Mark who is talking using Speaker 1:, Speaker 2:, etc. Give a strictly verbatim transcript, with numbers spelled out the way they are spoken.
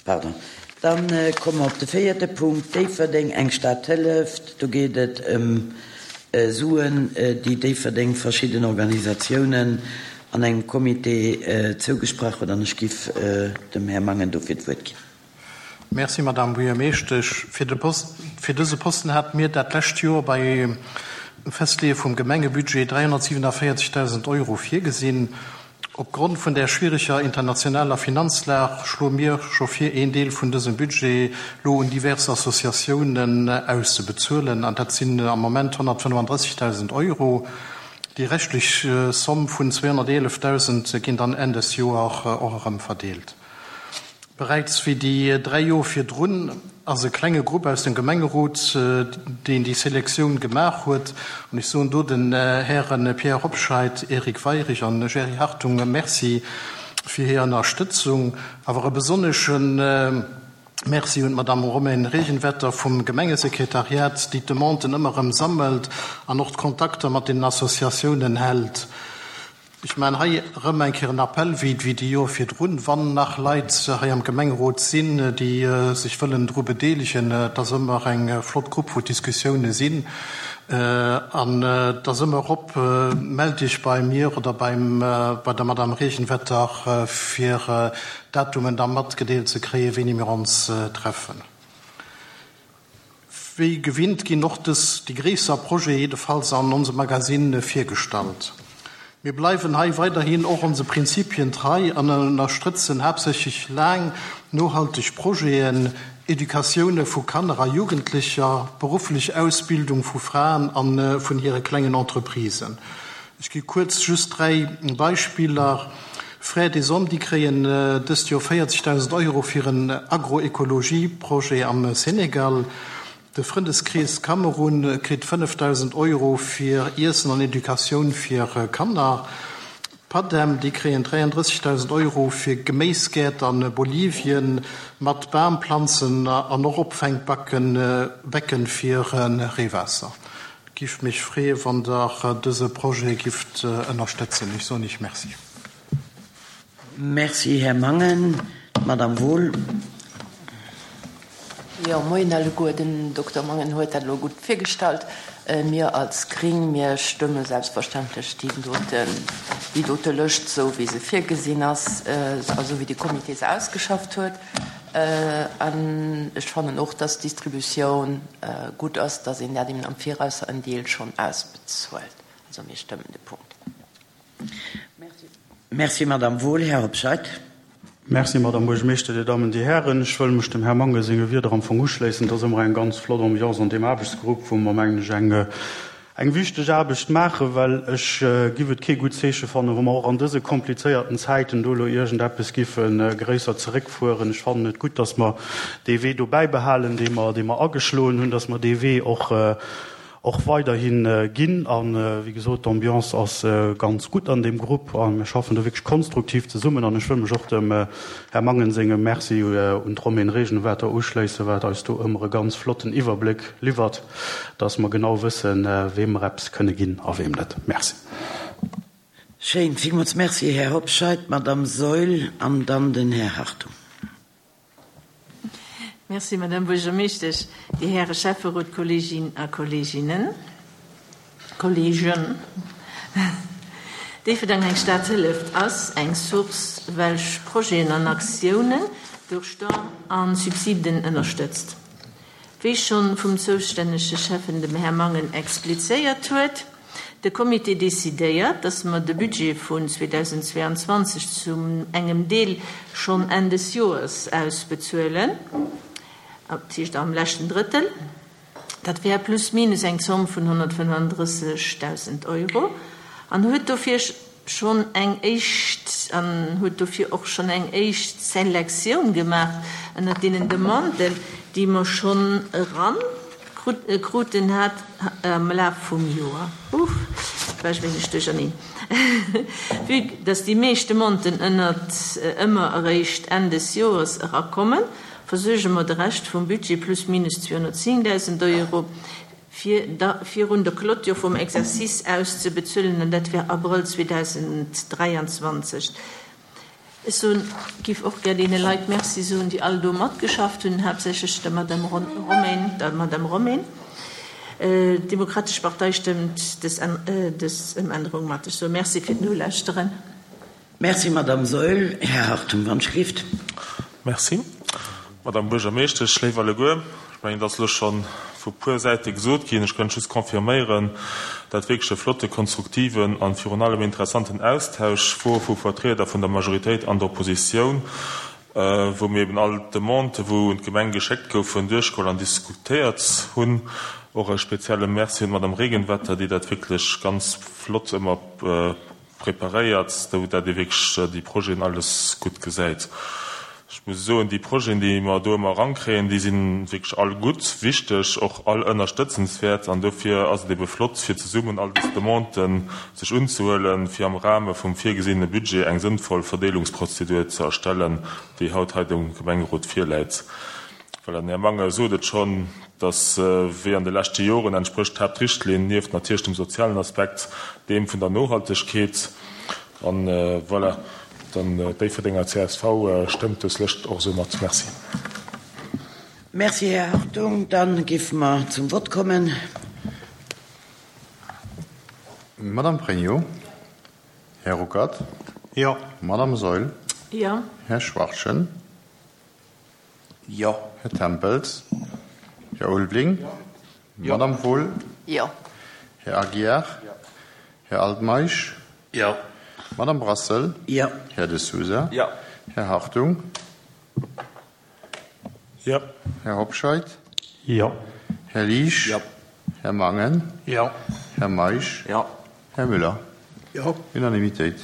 Speaker 1: Pardon. Dann komme mer op de véierte Punkt, Déifferdeng, eng Stad hëlleft. Do geet et ëm Suen, déi Déifferdeng verschidden Organisatiounen an engem Comité zougesprach huet. An ech giff dem Här Mangen dofir d'Wuert ginn.
Speaker 2: Merci, Madame Buergermeeschtesch. Fir de Post, fir dëse Posten hate mir dat lescht Joer beim Festleeë vum Gemengebudget dräihonnertsiewenundvéierzegdausend Euro virgesinn. Opgrond vun der schwiereger internationaler Finanzlag schloe mir scho vir, een Deel vun dësem Budget lo un divers Associatiounen auszebezuelen, an dat sinn am Moment honnertfënnefandrëssigdausend Euro. Déi reschtlech Somm vun zweehonnerteelefdausend ginn dann Enn des Joer och erëm verdeelt. Beräits wéi déi dräi Joer virdrun ass e klenge Grupp aus dem Gemengerot, deen déi Selektioun gemaach huet, an ech soen do den Häre Pierre Hobscheit, Eric Weirich an Jerry Hartung Merci fir hir Ënnerstëtzung, awer e besonnesche Merci un d'Madame Romaine Regenwetter vum Gemengesekretariat, déi d'Demanden ëmmer erëm sammelt an och d'Kontakter mat den Associatiounen hält. Ech maachen hei erëm eng Kéier en Appell, wéi déi Joer virdrun, wann nach Leit hei am Gemengerot sinn, déi sech wëllen dru bedeelegen, et ass ëmmer eng flott Grupp, wou Diskussioune sinn, an et ass ëmmer erop, mellt Iech bei mir oder beim, bei der Madame Regenwetter, fir Datumen da matgedeelt ze kréien, wéini mir ons treffen. Wéi gewinnt ginn och dës, déi gréisser Projete jiddefalls an onsem Magazine virgestallt. Mir bleiwen hei weiderhin och onse Prinzipien trei an ënnerstrëtzen haaptsächlech laang nohalteg Projeten, Educatioune vu Kanner a Jugendlecher, berufflech Ausbildung vu Fraen a vun hire klengen Entreprisen. Ech gi kuerz just dräi Beispiller, Frères des Hommes, déi kréien dëst Joer véierzegdausend Euro fir en Agroecologie-Projet am Senegal. De Frëndeskrees Kamerun kritt fënnefdausend Euro fir Iessen an Educatioun fir Kanner. D'Padem, déi kréien dräiandrëssigdausend Euro fir Geméisgäert a Bolivien mat Bamplanzen an och Opfänkbacken, Becken fir Reewaasser. Et giff mech freeë wann der dëse Projet gifft ënnerstëtzen. Ech soen Iech Merci.
Speaker 1: Merci, Här Mangen. D'Madame Wohl.
Speaker 3: Jo, moien alleguer. Den Dokter Mangen huet dat elo gutt virgestallt. Mir als Gring, mir stëmme selbstverständlech déi doten, déi dote Lëscht, esou wéi se virgesinn ass a sou wéi de Comité se ausgeschafft huet. An ech fannen och, dass d'Distributioun gutt ass, dass een dat eben am Viraus en Deel schonn ausbezuelt. Also mir stëmmen de Punkt.
Speaker 1: Merci, Madame Wohl. Här Hobscheit.
Speaker 4: Merci, Madame Buergermeeschter, Dir Dammen, Dir Hären. Ech wëll mech dem Här Mangen senge Wierder am Fong uschléissen. Et ass ëmmer eng ganz flott Ambiance an deem Aarbechtsgrupp, wou mer, mengen ech, eng, eng wichteg Aarbecht maachen, well ech giff et kee gutt Zeeche fannen, wa mer och an dëse komplizéierten Zäiten do elo iergendeppes giffe gréisser zeréckfueren. Ech fannen et gutt, dass mer dee Wee do bäibehalen, dee mer, dee mer ageschloen hunn, dass mer dee Wee och, och weiderhi ginn. A wéi gesot, d'Ambiance ass ganz gutt an deem Grupp a mir schaffen do wierklech konstruktiv zesummen. An ech wëll mech och dem Här Mangen sengem Merci un d'Romaine Regenwetter uschléissen, wat eis do ëmmer e ganz flotten Iwwerbléck liwwert, dass mer genau wëssen, weem mer eppes kënne ginn a weem net. Merci.
Speaker 1: Schéin. Villmools Merci, Här Hobscheit. D'Madame Saeul an dann den Här Hartung.
Speaker 5: Merci, Madame Buergermeeschtesch, Dir Häre Schäfferot, Kolleeginnen a Kolleeginnen, Kolleegen. Déifferdeng, eng Stad hëlleft ass eng Source, welch Projeten an Aktiounen duerch Don a Subsiden ënnerstëtzt. Wéi schonn vum zoustännege Schäffen, dem Här Mangen, explizéiert huet, de Comité decidéiert, dass mer de Budget vun zweedausendzweeanzwanzeg zu engem Deel schonn Enn des Joers ausbezuelen, dat heescht am leschten Drëttel. Dat wär plus minus eng Zomm vun honnertfënnefandrëssigdausend Euro an huet dofir schonn eng éischt an huet dofir och schonn eng éischt Selektioun gemaach ënnert deenen Demanden, déi mer schonn eran kruten hat am Laf vum Joer. Uff, war ech wéineg duercherneen. Vue dass déi meescht Demanden ënnert ëmmer eréischt Enn des Joers erakommen, versuerge mer de Rescht vum Budget plus minus zweehonnertzéngdausend Euro, fir da virun der Clôture vum Exercice auszebezuelen, an dat wär Abrëll zweedausenddräianzwanzeg. Ech soen, giff och gär deene Leit Merci soen, déi all do matgeschafft hunn, haaptsächlech der Madame Romain, der Madame Romain. D'Demokratesch Partei stëmmt dës, dës Ëmännerung mat. Ech soe Merci fir d'Nolauschteren.
Speaker 1: Merci, Madame Saeul. Här Hartung, wann Schrift.
Speaker 6: Merci, Madame Buergermeeschtesch. Léif alleguer, ech mengen, et ass elo scho vu puer Säite gesot ginn. Ech kënnt just confirméieren, dat wierklech e flotte, konstruktiven an virun allem interessanten Austausch wor vu Vertrieder vun der Majoritéit an der Oppositioun, wou mir eben all d'Demandë wou un d'Gemeng geschéckt goufen, duerchgeholl an diskutéiert hunn. Och e spezielle Merci un d'Madame Regenwetter, déi dat wierklech ganz flott ëmmer preparéiert, sou dat ee wierklech déi Projeten alles gutt gesäit. Ech muss soen, déi Projeten, déi mer do ëmmer erankréien, déi si wierklech all gutt, wichteg, och all ënnerstëtzenswäert. An dofir ass et ebe flott, fir zesummen all dës Demanden sech unzehuelen, fir am Rahme vum virgesinne Budget eng sënnvoll Verdeelungsprozedur ze erstellen, déi haut hei dem Gemengerot virläit. Voilà, den Här Mangen sot et schonn, dass, wéi an de leschte Joren, entsprécht d'Haaptrichtlinn nieft natierlech dem sozialen Aspekt deem vun der Nohaltegkeet. An voilà, dann d'Déifferdenger csv stëmmt dës Lëscht och esou mat. Merci.
Speaker 1: Merci, Här Hartung. Da géife mer zum Vott kommen.
Speaker 7: Madame Pregno. Här Ruckert.
Speaker 2: Jo.
Speaker 7: Madame Saeul.
Speaker 5: Jo.
Speaker 7: Här Schwachtgen.
Speaker 1: Jo.
Speaker 7: Här Tempels. Här Ulveling. Jo. Madame Wohl.
Speaker 3: Jo.
Speaker 7: Här Aguiar.
Speaker 6: Jo.
Speaker 7: Här Altmeisch.
Speaker 6: Jo.
Speaker 7: Madame Brassel.
Speaker 1: Jo.
Speaker 7: Här De Sousa.
Speaker 6: Jo.
Speaker 7: Här Hartung.
Speaker 6: Jo.
Speaker 7: Här Hobscheit.
Speaker 4: Jo.
Speaker 7: Här Liesch.
Speaker 6: Jo.
Speaker 7: Här Mangen.
Speaker 2: Jo.
Speaker 7: Här Meisch.
Speaker 6: Jo.
Speaker 7: Här Müller.
Speaker 2: Jo.
Speaker 7: Unanimitéit.